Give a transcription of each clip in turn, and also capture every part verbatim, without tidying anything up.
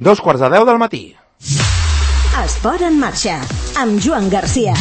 Dos quarts de deu del matí. Esport en marxa, amb Joan Garcia.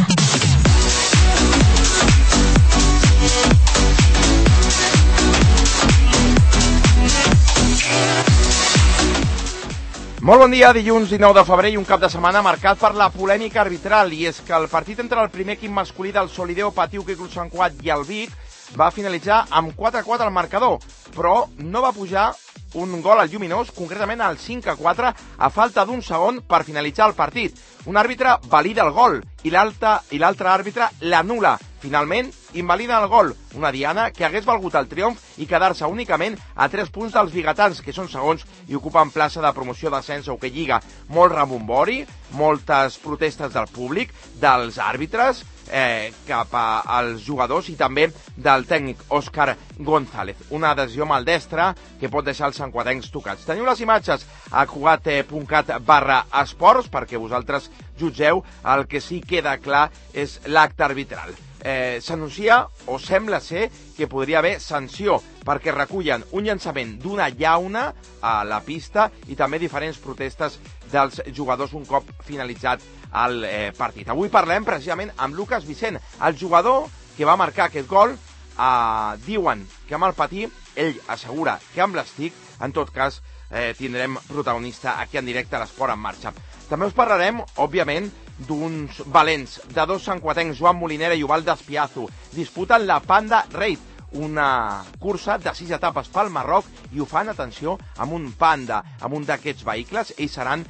Molt bon dia, dilluns dinou de febrer i un cap de setmana marcat per la polèmica arbitral, i és que el partit entre el primer equip masculí del Solideo Patiu Club Sant Cugat i el Vic va finalitzar amb quatre a quatre al marcador, però no va pujar un gol al Lluminós, concretament al cinc a quatre, a falta d'un segon per finalitzar el partit. Un àrbitre valida el gol i l'altre àrbitre l'anul·la. Finalment, invalida el gol, una diana que hagués valgut el triomf i quedar-se únicament a tres punts dels biguetans, que són segons i ocupen plaça de promoció d'ascens a Hockey Lliga. Molt rebombori, moltes protestes del públic, dels àrbitres, eh, cap als jugadors i també del tècnic Òscar González. Una decisió maldestra que pot deixar els santcuatencs tocats. Teniu les imatges a cugat punt cat barra esports perquè vosaltres jutgeu. El que sí queda clar és l'acte arbitral. Eh, S'anuncia, o sembla ser, que podria haver sanció, perquè recullen un llançament d'una llauna a la pista i també diferents protestes dels jugadors un cop finalitzat el eh, partit. Avui parlem precisament amb Lucas Vicent, el jugador que va marcar aquest gol. Eh, diuen que amb el patí, ell assegura que amb l'estic, en tot cas eh, tindrem protagonista aquí en directe a l'Esport en Marxa. També us parlarem, òbviament, d'uns valents, de dos santcuatencs, Joan Molinera i Ubaldo Espiazu. Disputen la Panda Raid, una cursa de sis etapes pel Marroc, i ho fan, atenció, amb un Panda, amb un d'aquests vehicles. Ells seran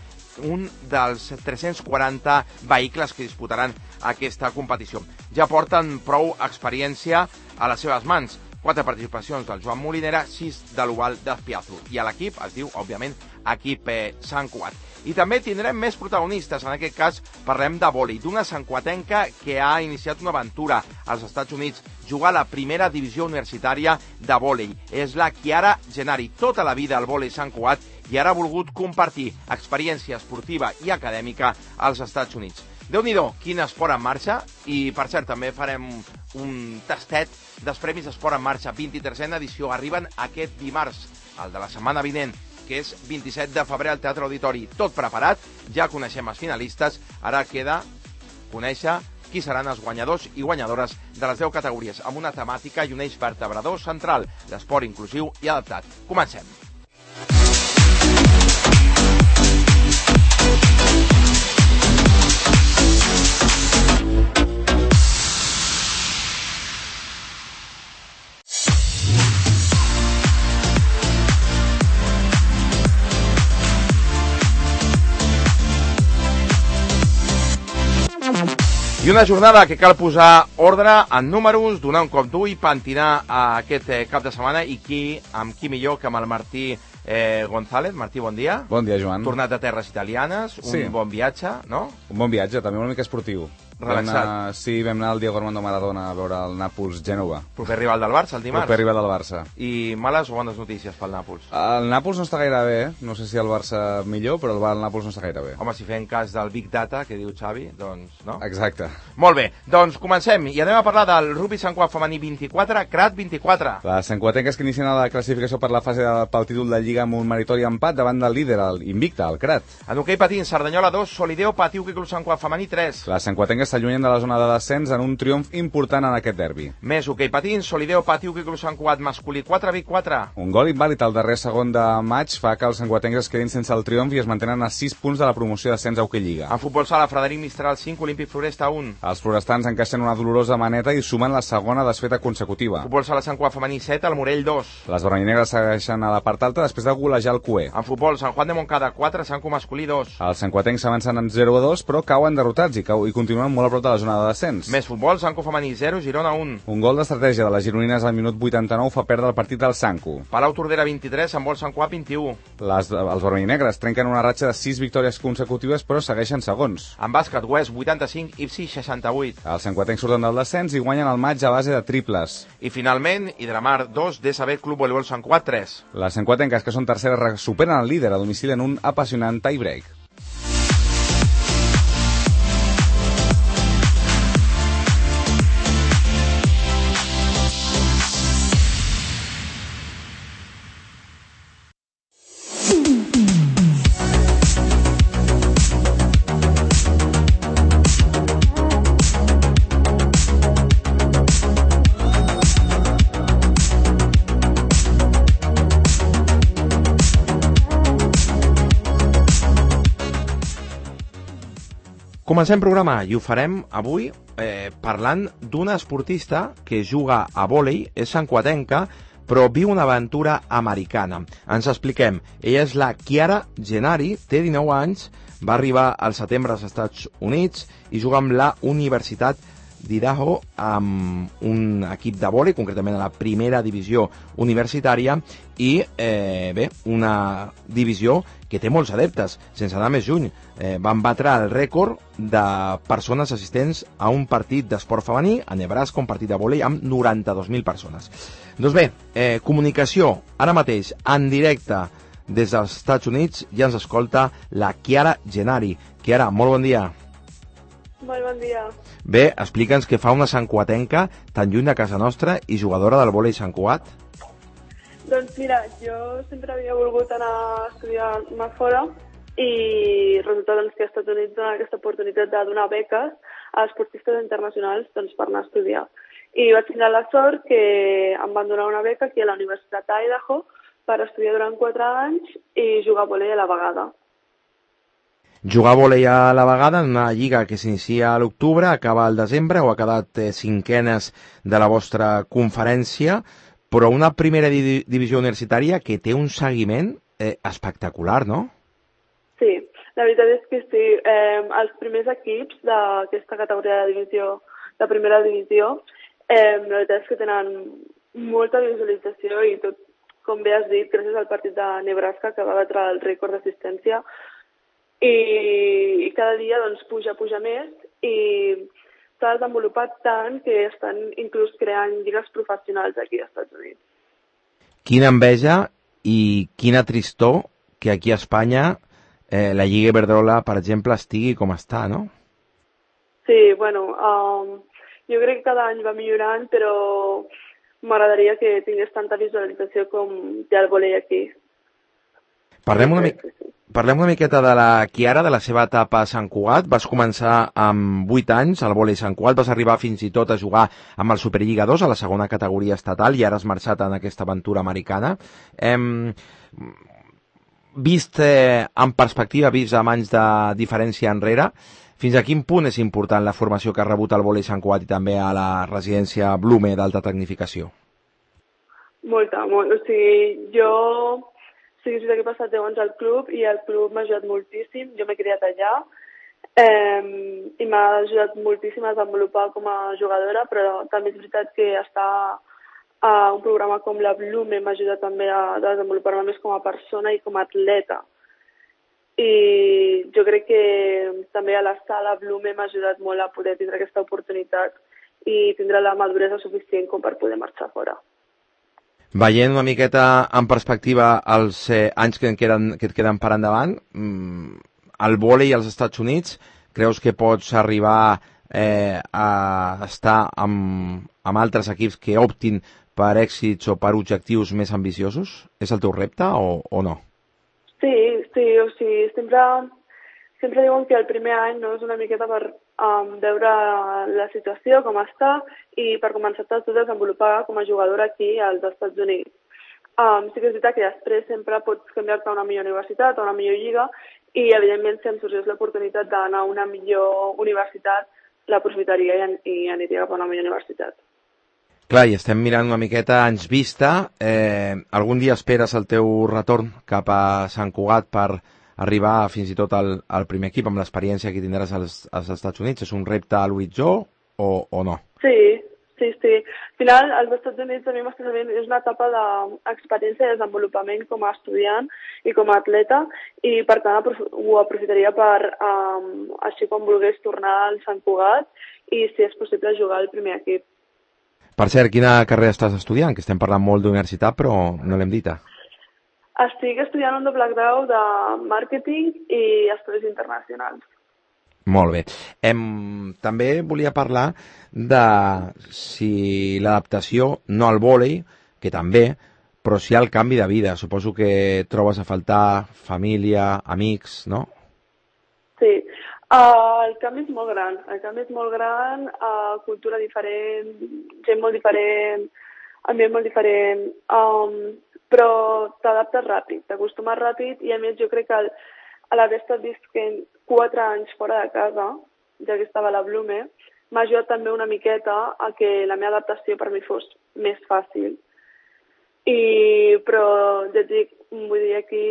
un dels tres-cents quaranta vehicles que disputaran aquesta competició. Ja porten prou experiència a les seves mans. Quatre participacions del Joan Molinera, sis de l'Ubaldo Espiazu. I a l'equip es diu, òbviament, equip eh, Sant Cugat. I també tindrem més protagonistes. En aquest cas parlem de vòlei, d'una santcuatenca que ha iniciat una aventura als Estats Units, jugar a la primera divisió universitària de vòlei. És la Chiara Gennari, tota la vida al vòlei Sant Cugat, i ara ha volgut compartir experiència esportiva i acadèmica als Estats Units. Déu-n'hi-do, quin esport en marxa. I, per cert, també farem un tastet dels Premis Esport en Marxa, vint-i-tercena edició. Arriben aquest dimarts, el de la setmana vinent, que és vint-i-set de febrer al Teatre Auditori. Tot preparat, ja coneixem els finalistes, ara queda conèixer qui seran els guanyadors i guanyadores de les deu categories, amb una temàtica i un eix vertebrador central, l'esport inclusiu i adaptat. Comencem. I una jornada que cal posar ordre en números, donar un cop d'ull i pentinar a aquest eh, cap de setmana. I qui, amb qui millor que amb el Martí eh, González. Martí, bon dia. Bon dia, Joan. Tornat de terres italianes, un sí. bon viatge, no? Un bon viatge, també una mica esportiu. Relaxat. Vam anar, sí, vam anar al Diego Armando Maradona a veure el Nàpols-Gènova. Proper rival del Barça, el dimarts. Proper rival del Barça. I males o bones notícies pel Nàpols? El Nàpols no està gaire bé, no sé si el Barça millor, però el, el Nàpols no està gaire bé. Home, si fem cas del Big Data, que diu Xavi, doncs, no? Exacte. Molt bé, doncs comencem, i anem a parlar del rugby Sant Cugat femení vint-i-quatre, Crat vint-i-quatre. Les santcuatenques que inicien la classificació per la fase de, pel títol de Lliga amb un meritori empat davant del líder, el Invicta, el Crat. En hoquei patins, Cerdanyola dos, Solideo Patiu Club Sant Cugat femení tres. Les santcuatenques s'allunyen de la zona de descens en un triomf important en aquest derbi. Més hoquei patins, Solideo Patiu Club Sant Cugat masculí quatre, Vic quatre. Un gol invàlid al darrer segon de maig fa que els santcuatencs es quedin sense el triomf i es mantenen a sis punts de la promoció d'ascens a Hockey Lliga. En futbol sala, Frederic Mistral cinc, Olímpic Floresta un. Els florestans encaixen una dolorosa maneta i sumen la segona desfeta consecutiva. Futbol sala Sant Cugat femení set, el Morell dos. Les vermellinegres segueixen a la part alta després de golejar el Cué. En futbol, Sant Juan de Montcada quatre, Sant Cu masculí dos. Els santcuatencs s'avancen en zero a dos, però cauen derrotats i, cau, i continuen molt a prop de la zona de descens. Més futbol, Sanco femení zero, Girona un. Un gol d'estratègia de les gironines al minut vuitanta-nou fa perdre el partit del Sanco. Palau Tordera vint-i-tres, Sant Bol Sant Cugat vint-i-u. Les, els vermellinegres trenquen una ratxa de sis victòries consecutives, però segueixen segons. En bàsquet, West vuitanta-cinc, Ipsi seixanta-vuit. Els santcuatencs surten del descens i guanyen el maig a base de triples. I finalment, Hidramar dos, D S B Club Voleibol Sant Cugat tres. Les santcuatenques, que són terceres, superen el líder a domicili en un apassionant tie-break. Comencem programa i ho farem avui eh, parlant d'una esportista que juga a vòlei, és santcugatenca, però viu una aventura americana. Ens expliquem. Ella és la Chiara Gennari, té dinou anys, va arribar al setembre als Estats Units i juga amb la Universitat d'Idaho amb un equip de vòlei, concretament a la primera divisió universitària i, eh, bé, una divisió que té molts adeptes. Sense anar més lluny, eh, van batre el rècord de persones assistents a un partit d'esport femení a Nebraska, un partit de vòlei amb noranta-dos mil persones. Doncs bé, eh, comunicació, ara mateix, en directe des dels Estats Units, ja ens escolta la Chiara Gennari. Chiara, molt bon dia. Molt bon dia. Bé, explica'ns què fa una santcugatenca tan lluny de casa nostra i jugadora del vòlei Sant Cugat. Doncs mira, jo sempre havia volgut anar a estudiar a fora i resulta doncs, que als Estats Units donen aquesta oportunitat de donar beques a esportistes internacionals doncs, per anar a estudiar. I vaig tenir la sort que em van donar una beca aquí a la Universitat d'Idaho per estudiar durant quatre anys i jugar a vòlei a la vegada. Jugar a vòlei a la vegada en una lliga que s'inicia a l'octubre, acaba al desembre, o ha quedat eh, cinquenes de la vostra conferència, però una primera di divisió universitària que té un seguiment eh, espectacular, no? Sí, la veritat és que sí. Eh, els primers equips d'aquesta categoria de divisió, de primera divisió, eh, la veritat és que tenen molta visualització i tot, com bé has dit, gràcies al partit de Nebraska que va batre el rècord d'assistència, i cada dia doncs, puja, puja més i s'ha desenvolupat tant que estan inclús creant lligues professionals aquí als Estats Units. Quina enveja i quina tristor que aquí a Espanya eh, la Lliga Iberdrola, per exemple, estigui com està, no? Sí, bueno, um, jo crec que cada any va millorant, però m'agradaria que tingués tanta visualització com té el vòlei aquí. Parlem una mica... Parlem una miqueta de la Chiara, de la seva etapa a Sant Cugat. Vas començar amb vuit anys al vòlei Sant Cugat, vas arribar fins i tot a jugar amb el Superliga dos a la segona categoria estatal i ara has marxat en aquesta aventura americana. Hem vist eh, en perspectiva, vist amb anys de diferència enrere, fins a quin punt és important la formació que ha rebut el vòlei Sant Cugat i també a la residència Blume d'alta tecnificació? Molta, molt. O sigui, jo... Sí, és veritat que he passat deu anys al club i el club m'ha ajudat moltíssim. Jo m'he criat allà eh, i m'ha ajudat moltíssim a desenvolupar com a jugadora, però també és veritat que estar a un programa com la Blume m'ha ajudat també a desenvolupar-me més com a persona i com a atleta. I jo crec que també a la sala Blume m'ha ajudat molt a poder tindre aquesta oportunitat i tindre la maduresa suficient com per poder marxar fora. Veient una miqueta en perspectiva els eh, anys que, en queden, que et queden per endavant, mmm, el vòlei als Estats Units, creus que pots arribar eh, a estar amb, amb altres equips que optin per èxits o per objectius més ambiciosos? És el teu repte o, o no? Sí, sí, o sigui, sempre, sempre diuen que el primer any no és una miqueta per um, veure la situació, com està, i per començar a desenvolupar com a jugadora aquí als Estats Units. Um, sí que és veritat que després sempre pots canviar-te a una millor universitat, a una millor lliga, i evidentment si em sorgís l'oportunitat d'anar a una millor universitat, l'aprofitaria i, i aniria cap a una millor universitat. Clar, i estem mirant una miqueta anys vista. Eh, algun dia esperes el teu retorn cap a Sant Cugat per arribar fins i tot al, al primer equip amb l'experiència que tindràs als, als Estats Units? És un repte a l'horitzó o, o no? Sí, sí, sí. Al final, als Estats Units a mi m'està sabent, és una etapa d'experiència de desenvolupament com a estudiant i com a atleta i per tant ho aprofitaria per, um, així com volgués, tornar al Sant Cugat i si és possible jugar al primer equip. Per cert, quina carrera estàs estudiant? Que estem parlant molt d'universitat, però no l'hem dita. Estic estudiant un doble grau de màrqueting i estudis internacionals. Molt bé. Em, també volia parlar de si l'adaptació, no al vòlei, que també, però sí al canvi de vida. Suposo que trobes a faltar família, amics, no? Sí. Uh, el canvi és molt gran, el canvi és molt gran, uh, cultura diferent, gent molt diferent, ambient molt diferent, um, però t'adaptes ràpid, t'acostumes ràpid i a més jo crec que a l'haver estat visquent quatre anys fora de casa, ja que estava a la Blume, m'ha ajudat també una miqueta a que la meva adaptació per mi fos més fàcil. I, però ja et dic, vull dir, aquí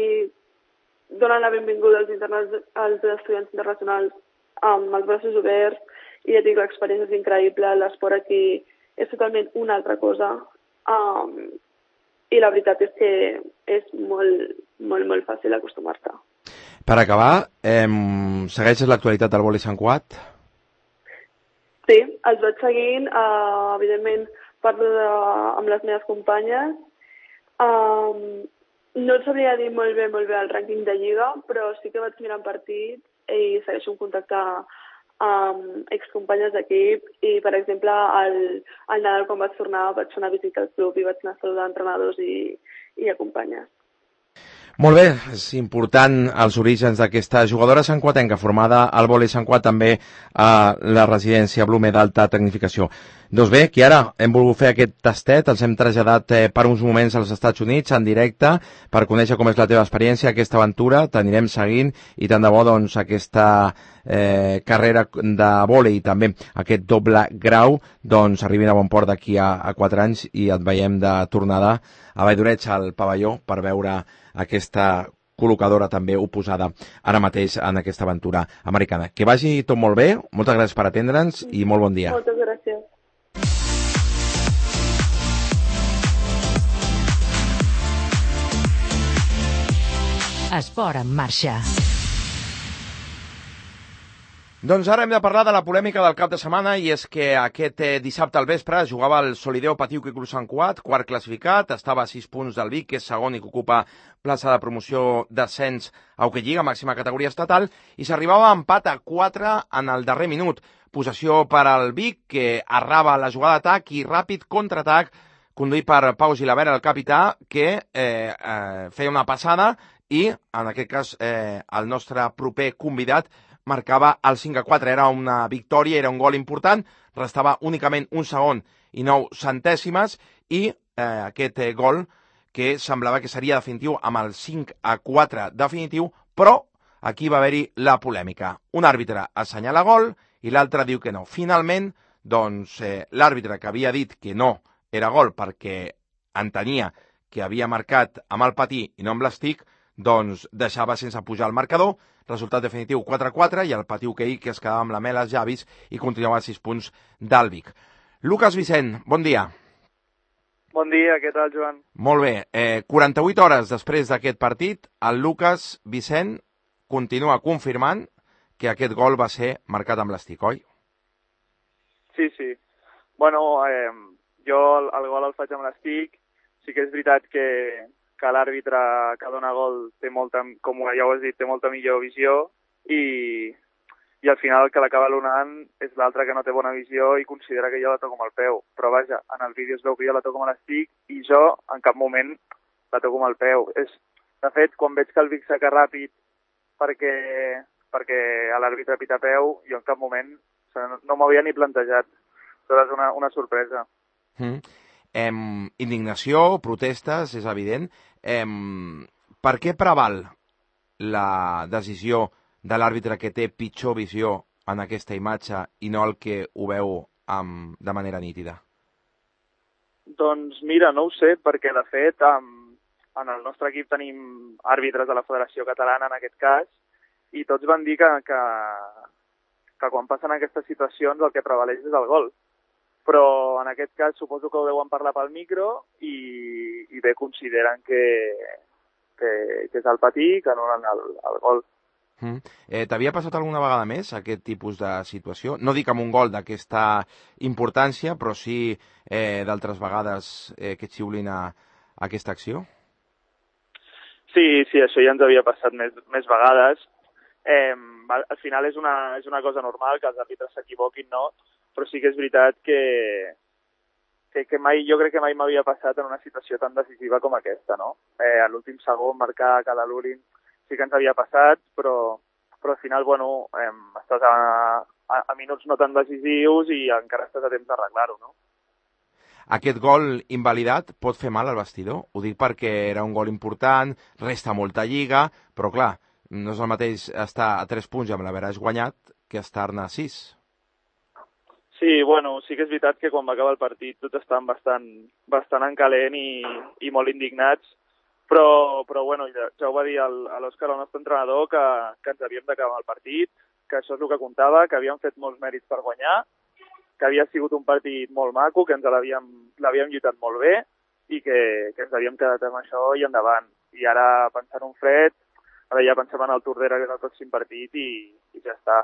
donen la benvinguda als, interna- als estudiants internacionals amb els braços oberts, i ja dic, l'experiència és increïble, l'esport aquí és totalment una altra cosa, um, i la veritat és que és molt, molt, molt fàcil acostumar-te. Per acabar, eh, segueixes l'actualitat del vòlei Sant Cugat? Sí, els vaig seguint, uh, evidentment parlo de, amb les meves companyes. Um, no et sabria dir molt bé, molt bé el rànquing de Lliga, però sí que vaig mirant partits i segueixo en contacte amb excompanyes d'equip i, per exemple, al, al Nadal, quan vaig tornar, vaig fer una visita al club i vaig anar a saludar entrenadors i, i a companyes. Molt bé, és important els orígens d'aquesta jugadora santcuatenca formada al vòlei Sant Cugat, també a la residència Blume d'alta tecnificació. Doncs bé, Chiara, hem volgut fer aquest tastet, els hem traslladat eh, per uns moments als Estats Units en directe per conèixer com és la teva experiència, aquesta aventura, t'anirem seguint i tant de bo doncs, aquesta eh, carrera de vòlei i també aquest doble grau doncs, arribin a bon port d'aquí a, a quatre anys i et veiem de tornada a Valldoreig al pavelló per veure aquesta col·locadora també oposada ara mateix en aquesta aventura americana. Que vagi tot molt bé, moltes gràcies per atendre'ns i molt bon dia. Moltes gràcies. Esport en marxa. Doncs ara hem de parlar de la polèmica del cap de setmana, i és que aquest eh, dissabte al vespre jugava el Solideo Patiuc i Club Sant Cugat, quart classificat, estava a sis punts del Vic, que és segon i que ocupa plaça de promoció d'ascens a Hockey Lliga, màxima categoria estatal, i s'arribava a empat a quatre en el darrer minut. Possessió per al Vic, que arraba la jugada d'atac i ràpid contraatac, conduït per Pau Gilabert, el capità, que eh, eh, feia una passada i, en aquest cas, eh, el nostre proper convidat marcava el cinc a quatre, era una victòria, era un gol important, restava únicament un segon i nou centèsimes, i eh, aquest eh, gol que semblava que seria definitiu amb el cinc a quatre definitiu, però aquí va haver-hi la polèmica. Un àrbitre assenyala gol i l'altre diu que no. Finalment, doncs, eh, l'àrbitre que havia dit que no era gol perquè entenia que havia marcat amb el patí i no amb l'estic, doncs deixava sense pujar el marcador. Resultat definitiu quatre a quatre, i el Patí Hoquei que es quedava amb la mel als llavis i continuava a sis punts del Vic. Lucas Vicent, bon dia. Bon dia, què tal, Joan? Molt bé. Eh, quaranta-vuit hores després d'aquest partit, el Lucas Vicent continua confirmant que aquest gol va ser marcat amb l'estic, oi? Sí, sí. Bueno, eh, jo el, el gol el faig amb l'estic. Sí que és veritat que... que l'àrbitre que dona gol té molta, com ja ho has dit, té molta millor visió, i, i al final el que l'acaba l'onant és l'altre que no té bona visió i considera que jo la toco amb el peu. Però vaja, en el vídeo es veu que jo la toco amb l'estic i jo en cap moment la toco amb el peu. És, de fet, quan veig que el Vic saca ràpid perquè, perquè l'àrbitre pita peu, jo en cap moment o sigui, no, no m'havia ni plantejat. Això és una, una sorpresa. Mm. Em, indignació, protestes, és evident. Em, per què preval la decisió de l'àrbitre que té pitjor visió en aquesta imatge i no el que ho veu amb, de manera nítida? Doncs mira, no ho sé, perquè de fet um, en el nostre equip tenim àrbitres de la Federació Catalana en aquest cas, i tots van dir que, que, que quan passen aquestes situacions el que prevaleix és el gol. Però en aquest cas suposo que ho deuen parlar pel micro i, i bé consideren que, que, que és el patí, que no el, el gol. Mm. Eh, T'havia passat alguna vegada més aquest tipus de situació? No dic amb un gol d'aquesta importància, però sí eh, d'altres vegades eh, que et xiulin a, a aquesta acció? Sí, sí, això ja ens havia passat més, més vegades. Eh, al final és una, és una cosa normal que els àrbitres s'equivoquin, no? Però sí que és veritat que, que, que mai, jo crec que mai m'havia passat en una situació tan decisiva com aquesta, no? Eh, a l'últim segon marcar cada l'Urin sí que ens havia passat, però, però al final, bueno, eh, estàs a, a, a minuts no tan decisius i encara estàs a temps d'arreglar-ho, no? Aquest gol invalidat pot fer mal al vestidor? Ho dic perquè era un gol important, resta molta lliga, però clar, no és el mateix estar a tres punts i amb l'haveràs guanyat que estar-ne a sis. Sí, bueno, sí que és veritat que quan va acabar el partit tots estaven bastant, bastant en calent i, i molt indignats, però, però bueno, ja, ja ho va dir el, a l'Òscar, el nostre entrenador, que, que ens havíem d'acabar el partit, que això és el que comptava, que havíem fet molts mèrits per guanyar, que havia sigut un partit molt maco, que ens l'havíem lluitat molt bé i que, que ens havíem quedat amb això i endavant. I ara, pensant un fred, ara ja pensem en el Tordera, que és el pròxim partit, i, i ja està.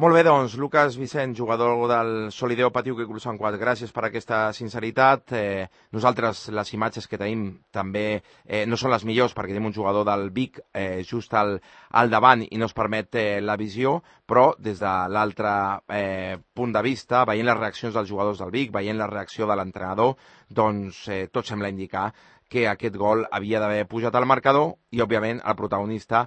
Molt bé, doncs, Lucas Vicent, jugador del Solideo Patiuc i Club Sant Cugat, gràcies per aquesta sinceritat. Eh, nosaltres, les imatges que tenim també eh, no són les millors perquè tenim un jugador del Vic eh, just al, al davant i no es permet eh, la visió, però des de l'altre eh, punt de vista, veient les reaccions dels jugadors del Vic, veient la reacció de l'entrenador, doncs eh, tot sembla indicar que aquest gol havia d'haver pujat al marcador i, òbviament, el protagonista,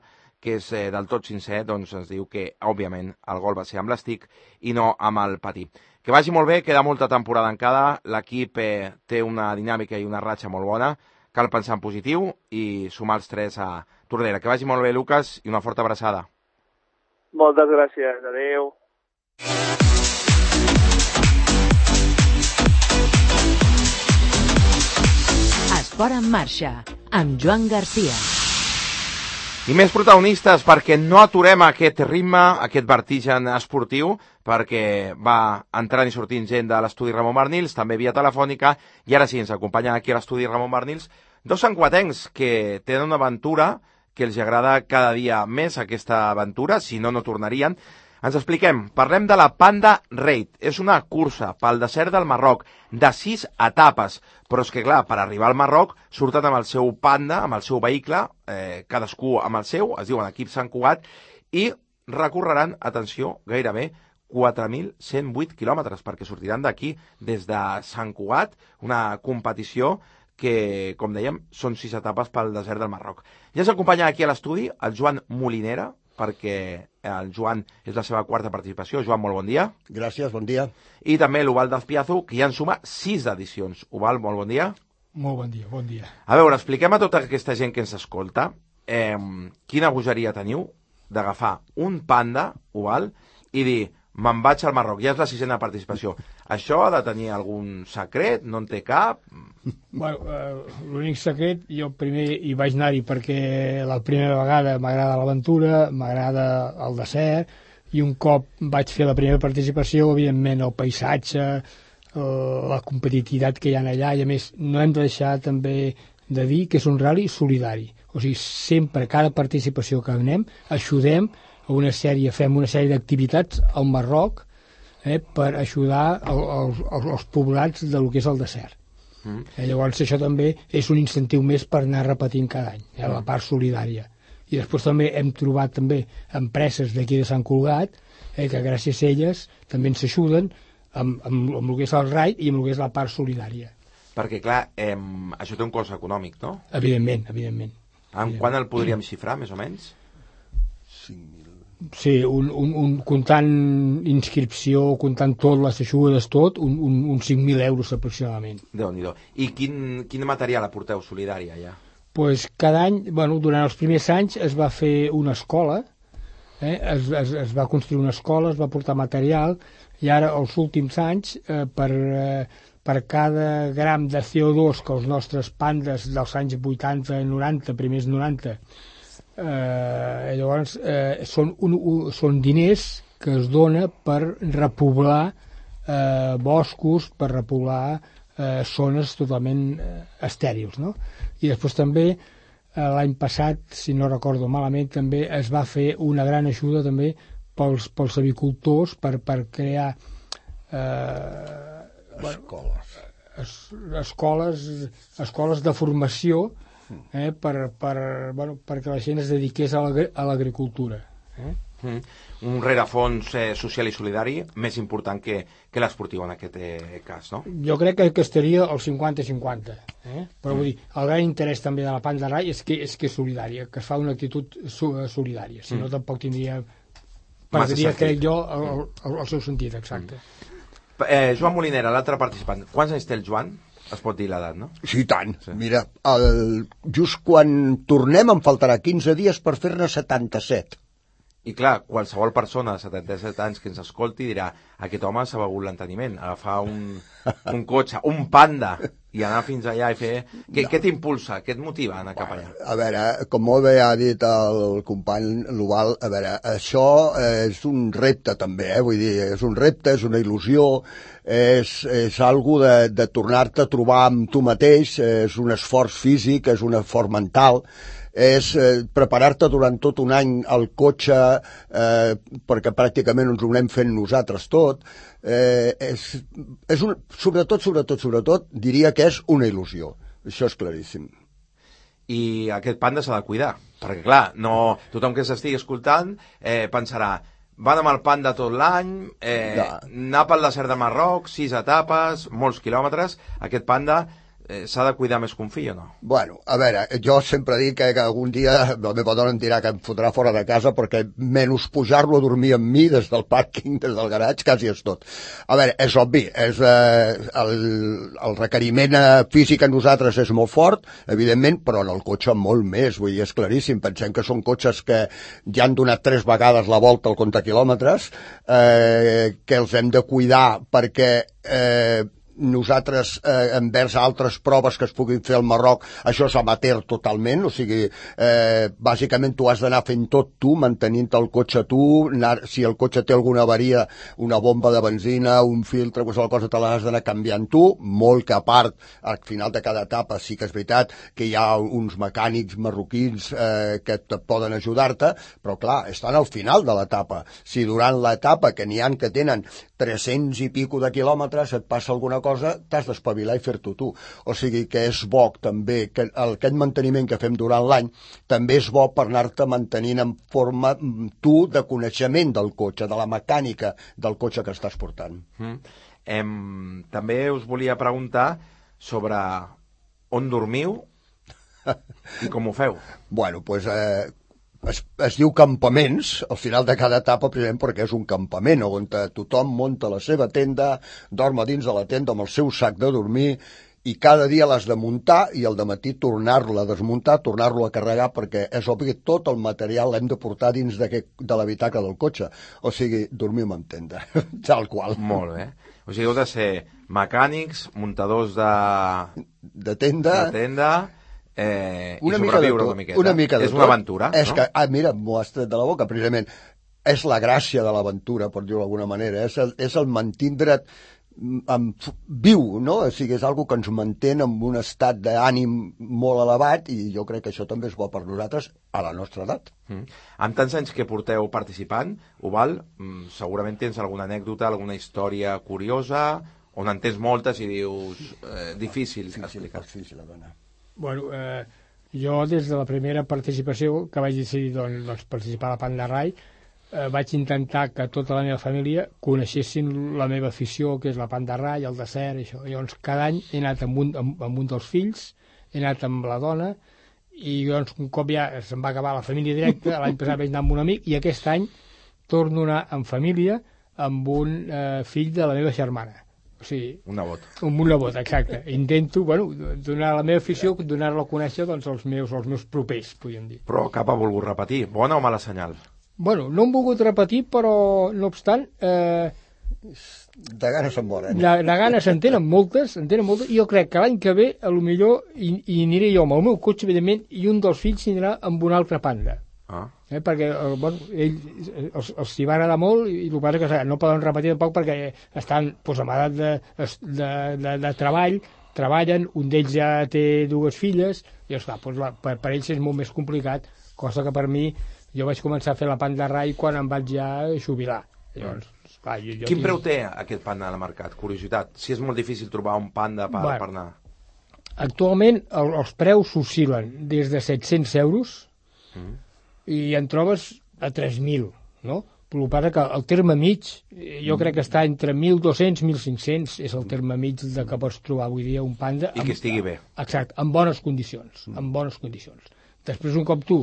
que és eh, del tot sincer, doncs ens diu que, òbviament, el gol va ser amb l'estic i no amb el patí. Que vagi molt bé, queda molta temporada encara, l'equip eh, té una dinàmica i una ratxa molt bona, cal pensar en positiu i sumar els tres a Tordera. Que vagi molt bé, Lucas, i una forta abraçada. Moltes gràcies, adeu. Esport en marxa, amb Joan Garcia. I més protagonistes, perquè no aturem aquest ritme, aquest vertigen esportiu, perquè va entrant i sortint gent de l'estudi Ramon Barnils, també via telefònica, i ara sí, ens acompanyen aquí a l'estudi Ramon Barnils, dos santcuatencs que tenen una aventura que els agrada cada dia més, aquesta aventura, si no, no tornarien. Ens expliquem, parlem de la Panda Raid. És una cursa pel desert del Marroc, de sis etapes. Però és que, clar, per arribar al Marroc surten amb el seu Panda, amb el seu vehicle, eh, cadascú amb el seu, es diuen equip Sant Cugat, i recorreran, atenció, gairebé quatre mil cent vuit quilòmetres, perquè sortiran d'aquí des de Sant Cugat, una competició que, com dèiem, són sis etapes pel desert del Marroc. Ja ens acompanya aquí a l'estudi el Joan Molinera, perquè el Joan és la seva quarta participació. Joan, molt bon dia. Gràcies, bon dia. I també l'Uval d'Azpiazu, que ja en suma sis edicions. Uval, molt bon dia. Molt bon dia, bon dia. A veure, expliquem a tota aquesta gent que ens escolta eh, quina bogeria teniu d'agafar un Panda, Uval, i dir, me'n vaig al Marroc, ja és la sisena participació. Això ha de tenir algun secret? No en té cap? Bueno, eh, l'únic secret, jo primer hi vaig anar-hi perquè la primera vegada m'agrada l'aventura, m'agrada el desert, i un cop vaig fer la primera participació, evidentment el paisatge, eh, la competitivitat que hi ha allà, i a més no hem de deixar també de dir que és un rally solidari. O sigui, sempre, cada participació que anem, ajudem a una sèrie, fem una sèrie d'activitats al Marroc eh, per ajudar el, el, els, els poblats del que és el desert. Mm. Eh, llavors això també és un incentiu més per anar repetint cada any, eh, la part solidària. I després també hem trobat també empreses d'aquí de Sant Cugat eh, que gràcies a elles també ens ajuden amb, amb, amb el que és el raid i amb el que és la part solidària. Perquè, clar, eh, això té un cost econòmic, no? Evidentment, evidentment. En quan el podríem xifrar, més o menys? cinc mil. Sí, un, un, un comptant inscripció, comptant tot, les ajudes, tot, un, un, un cinc mil euros aproximadament. Déu-n'hi-do. I quin, quin material aporteu solidària, ja? Pues cada any, bueno, durant els primers anys es va fer una escola, eh? es, es, es va construir una escola, es va portar material, i ara, els últims anys, eh, per, eh, per cada gram de C O dos que els nostres pandes dels anys vuitanta i noranta, primers noranta, Eh, llavors eh, són, un, un, són diners que es dona per repoblar eh, boscos, per repoblar eh, zones totalment eh, estèrils, no? I després també eh, l'any passat, si no recordo malament, també es va fer una gran ajuda també pels, pels avicultors per, per crear eh, escoles. Es, escoles escoles de formació Eh, per, per, bueno, perquè la gent es dediqués a l'agricultura. Eh? Mm. Un rerefons eh, social i solidari més important que, que l'esportiu en aquest eh, cas, no? Jo crec que, que estaria al cinquanta cinquanta. Eh? Però mm. vull dir, el gran interès també de la Panda Raid és que és que és solidària, que es fa una actitud solidària. Si no, mm. tampoc tindria, perdria, crec jo, el, el, el seu sentit, exacte. Mm. Eh, Joan Molinera, l'altre participant. Quants anys té el Joan? Es pot dir l'edat, no? Sí, tant. Sí. Mira, el, just quan tornem em faltarà quinze dies per fer-ne setanta-set. I clar, qualsevol persona de setanta-set anys que ens escolti dirà aquest home s'ha begut l'enteniment, agafar un, un cotxe, un Panda i anar fins allà i fer... Què, no. què t'impulsa? Què et motiva a anar cap allà? A veure, com molt bé ha dit el company Luval, a veure, això és un repte també, eh? Vull dir, és un repte, és una il·lusió, és, és algo de, de tornar-te a trobar amb tu mateix, és un esforç físic, és un esforç mental, és eh, preparar-te durant tot un any al cotxe, eh, perquè pràcticament ens ho anem fent nosaltres tot, eh, és, és un, sobretot, sobretot, sobretot, diria que és una il·lusió. Això és claríssim. I aquest Panda s'ha de cuidar, perquè clar, no, tothom que s'estigui escoltant eh, pensarà, van amb el Panda tot l'any, eh, ja. anar pel desert de Marroc, sis etapes, molts quilòmetres, aquest Panda... Eh, s'ha de cuidar més que un fill o no? Bueno, a veure, jo sempre dic que, que algun dia la meva dona em dirà que em fotrà fora de casa perquè menys pujar-lo a dormir amb mi des del pàrquing, des del garatge, quasi és tot. A veure, és obvi, és, eh, el, el requeriment físic a nosaltres és molt fort, evidentment, però en el cotxe molt més, vull dir, és claríssim. Pensem que són cotxes que ja han donat tres vegades la volta al compte quilòmetres, eh, que els hem de cuidar perquè... Eh, nosaltres, eh, envers altres proves que es puguin fer al Marroc, això és amateur totalment, o sigui, eh, bàsicament tu has d'anar fent tot tu, mantenint el cotxe tu, anar, si el cotxe té alguna avaria, una bomba de benzina, un filtre, qualsevol cosa te l'has d'anar canviant tu, molt que a part, al final de cada etapa sí que és veritat que hi ha uns mecànics marroquins eh, que te poden ajudar-te, però clar, estan al final de l'etapa. Si durant l'etapa, que n'hi ha que tenen tres-cents i pico de quilòmetres, et passa alguna cosa, t'has d'espavilar i fer-t'ho tu. O sigui que és bo també que el, aquest manteniment que fem durant l'any també és bo per anar-te mantenint en forma tu de coneixement del cotxe, de la mecànica del cotxe que estàs portant. Mm. Em, també us volia preguntar sobre on dormiu i com ho feu. Bueno, doncs... Pues, eh, Es, es diu campaments al final de cada etapa, precisament perquè és un campament on tothom munta la seva tenda, dorm a dins de la tenda amb el seu sac de dormir i cada dia l'has de muntar i al dematí tornar-lo a desmuntar, tornar-lo a carregar, perquè és obvi que tot el material l'hem de portar dins de, de l'habitacle del cotxe. O sigui, dormim en tenda, tal qual. Molt bé. O sigui, heu de ser mecànics, muntadors de... De tenda... De tenda... Eh, una i mica de sobreviure tot, una miqueta. Una mica de és tot. una aventura, és no? Que, ah, mira, m'ho has tret de la boca, precisament. És la gràcia de l'aventura, per dir-ho d'alguna manera. És el, és el mantindre't amb, viu, no? O sigui, és algo que ens manté en un estat d'ànim molt elevat i jo crec que això també és bo per nosaltres a la nostra edat. Mm. Amb tants anys que porteu participant, Ubal, mm, segurament tens alguna anècdota, alguna història curiosa, on en tens moltes i dius eh, difícil, difícil explicar. Difícil, a dona. Bueno, eh, jo des de la primera participació que vaig decidir doncs, doncs, participar a la Panda Rai, eh, vaig intentar que tota la meva família coneixessin la meva afició, que és la Panda Rai, el desert, això. Llavors, cada any he anat amb un, amb, amb un dels fills, he anat amb la dona, i doncs, un cop ja se'm va acabar la família directa, l'any passat vaig anar amb un amic, i aquest any torno a anar en família amb un eh, fill de la meva germana. O sigui, un nebot. Un, un nebot, exacte. Intento, bueno, donar la meva afició, donar-la a conèixer doncs, els, meus, els meus propers, podríem dir. Però cap ha volgut repetir. Bona o mala senyal? Bueno, no hem volgut repetir, però, no obstant... Eh, de ganes se'n moren. De, de ganes se'n tenen moltes, se'n tenen moltes, i jo crec que l'any que ve, a lo millor, hi, hi aniré jo amb el meu cotxe, evidentment, i un dels fills anirà amb un altre Panda. Ah. Eh, perquè eh, bueno, ell, els, els hi va agradar molt i el que passa que no poden repetir tampoc perquè estan pues, amb edat de, de, de, de treball, treballen, un d'ells ja té dues filles i esclar, pues, la, per, per ells és molt més complicat, cosa que per mi jo vaig començar a fer la Panda Rai quan em vaig ja jubilar. Llavors, esclar, jo, jo Quin tinc... preu té aquest Panda al mercat? Curiositat, si és molt difícil trobar un Panda per, bueno, per anar. Actualment el, els preus oscil·len des de set-cents euros mm. i en trobes a tres mil, no? Però el que passa que el terme mig, jo crec que està entre mil dos-cents i mil cinc-cents, és el terme mig de que pots trobar avui dia un Panda. I amb, que estigui bé. Exacte, en bones condicions, en bones condicions. Després, un cop tu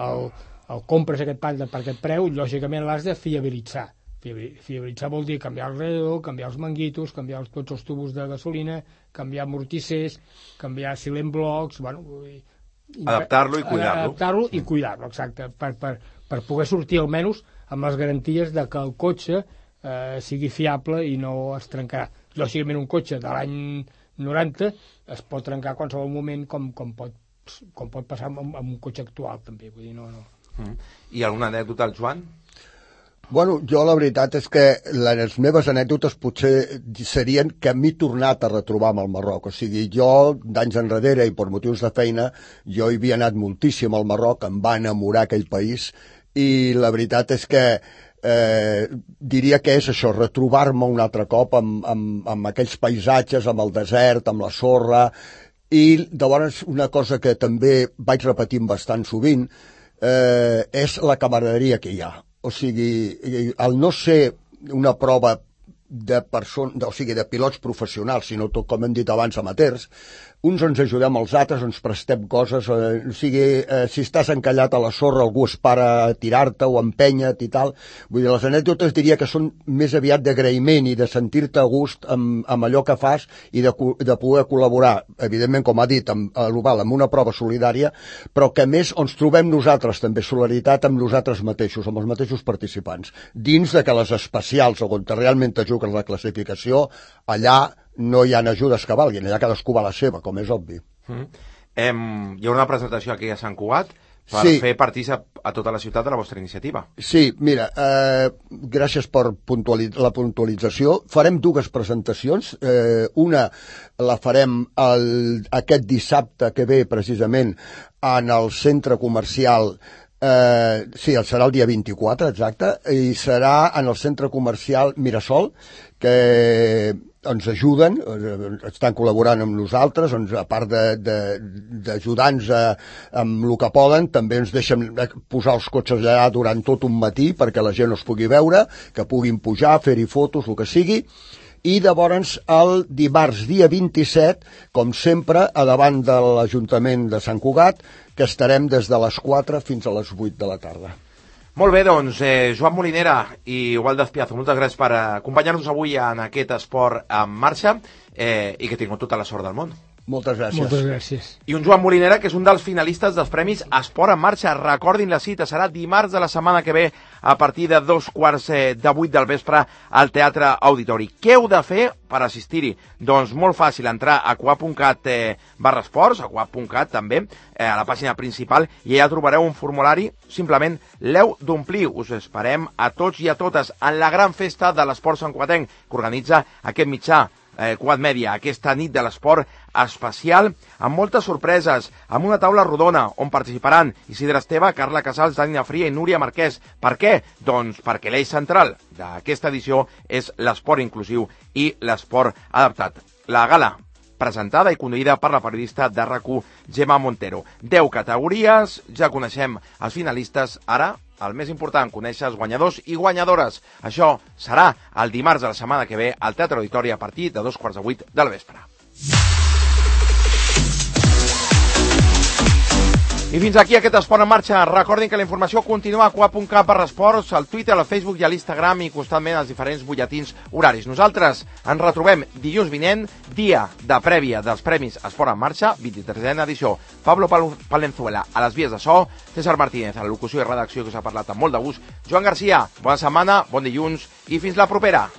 el, el compres aquest Panda per aquest preu, lògicament l'has de fiabilitzar. Fiabilitzar vol dir canviar el radiador, canviar els manguitos, canviar els, tots els tubos de gasolina, canviar amortissers, canviar silent blocs, bueno, Adaptar-lo i cuidar-lo. Adaptar-lo i cuidar-lo, exacte, per, per, per poder sortir almenys amb les garanties de que el cotxe eh, sigui fiable i no es trencarà. Lògicament un cotxe de l'any noranta es pot trencar a qualsevol moment com, com, pot, com pot passar amb, amb un cotxe actual també, vull dir, no, no. Mm. I alguna anècdota al Joan? Bueno, jo la veritat és que les meves anècdotes potser serien que m'he tornat a retrobar amb el Marroc. O sigui, jo d'anys enrere i per motius de feina, jo hi havia anat moltíssim al Marroc, em va enamorar aquell país i la veritat és que eh, diria que és això, retrobar-me un altre cop amb, amb, amb aquells paisatges, amb el desert, amb la sorra, i llavors una cosa que també vaig repetint bastant sovint eh, és la camaraderia que hi ha. O sigui, el no ser una prova de, person... o sigui, de pilots professionals, sinó tot, com hem dit abans, amateurs, uns ens ajudem als altres, ens prestem coses, eh, o sigui, eh, si estàs encallat a la sorra, algú es para a tirar-te o empenya't i tal. Vull dir, les anècdotes diria que són més aviat d'agraïment i de sentir-te a gust amb, amb allò que fas i de, de poder col·laborar, evidentment, com ha dit, amb, a l'Oval, amb una prova solidària, però que a més ens trobem nosaltres també, solidaritat amb nosaltres mateixos, amb els mateixos participants, dins de que les especials, on realment te jugues la classificació, allà no hi ha ajudes que valguin, allà cadascú va la seva, com és obvi. Mm. Em, hi ha una presentació aquí a Sant Cugat per sí. fer partícip a tota la ciutat de la vostra iniciativa. Sí, mira, eh, gràcies per puntualiz la puntualització. Farem dues presentacions. Eh, una la farem el, aquest dissabte que ve, precisament, en el centre comercial. Eh, sí, serà el dia vint-i-quatre, exacte, i serà en el centre comercial Mirasol, que ens ajuden, estan col·laborant amb nosaltres, ens, a part d'ajudar-nos amb el que poden, també ens deixen posar els cotxes allà durant tot un matí perquè la gent els pugui veure, que puguin pujar, fer-hi fotos, el que sigui, i llavors el dimarts dia vint-i-set, com sempre, a davant de l'Ajuntament de Sant Cugat, que estarem des de les quatre fins a les vuit de la tarda. Molt bé, doncs, eh, Joan Molinera i Waldo Espiazo, moltes gràcies per acompanyar-nos avui en aquest esport en marxa eh, i que tingueu tota la sort del món. Moltes gràcies. Moltes gràcies. I un Joan Molinera, que és un dels finalistes dels Premis Esport en Marxa. Recordin la cita, serà dimarts de la setmana que ve a partir de dos quarts de vuit del vespre al Teatre Auditori. Què heu de fer per assistir-hi? Doncs molt fàcil, entrar a coap punt cat eh, barra esports, a coap punt cat també, eh, a la pàgina principal, i allà trobareu un formulari, simplement l'heu d'omplir. Us esperem a tots i a totes en la gran festa de l'esport santcugatenc que organitza aquest mitjà, Eh, Cugat Mèdia, aquesta nit de l'esport especial, amb moltes sorpreses, amb una taula rodona on participaran Isidre Esteve, Carla Casals, Dani Fria i Núria Marquès. Per què? Doncs perquè l'eix central d'aquesta edició és l'esport inclusiu i l'esport adaptat. La gala presentada i conduïda per la periodista de R A C U, Gemma Montero. Deu categories, ja coneixem els finalistes, ara el més important, conèixer els guanyadors i guanyadores. Això serà el dimarts de la setmana que ve al Teatre Auditori a partir de dos quarts de vuit del vespre. I fins aquí aquest Esport en Marxa. Recordin que la informació continua a coap punt cat barra esports, al Twitter, al Facebook i a l'Instagram i constantment als diferents butlletins horaris. Nosaltres ens retrobem dilluns vinent, dia de prèvia dels Premis Esport en Marxa, vint-i-tresena edició. Pablo Palenzuela a les vies de so, César Martínez a la locució i redacció, que us ha parlat amb molt de gust, Joan Garcia, bona setmana, bon dilluns i fins la propera.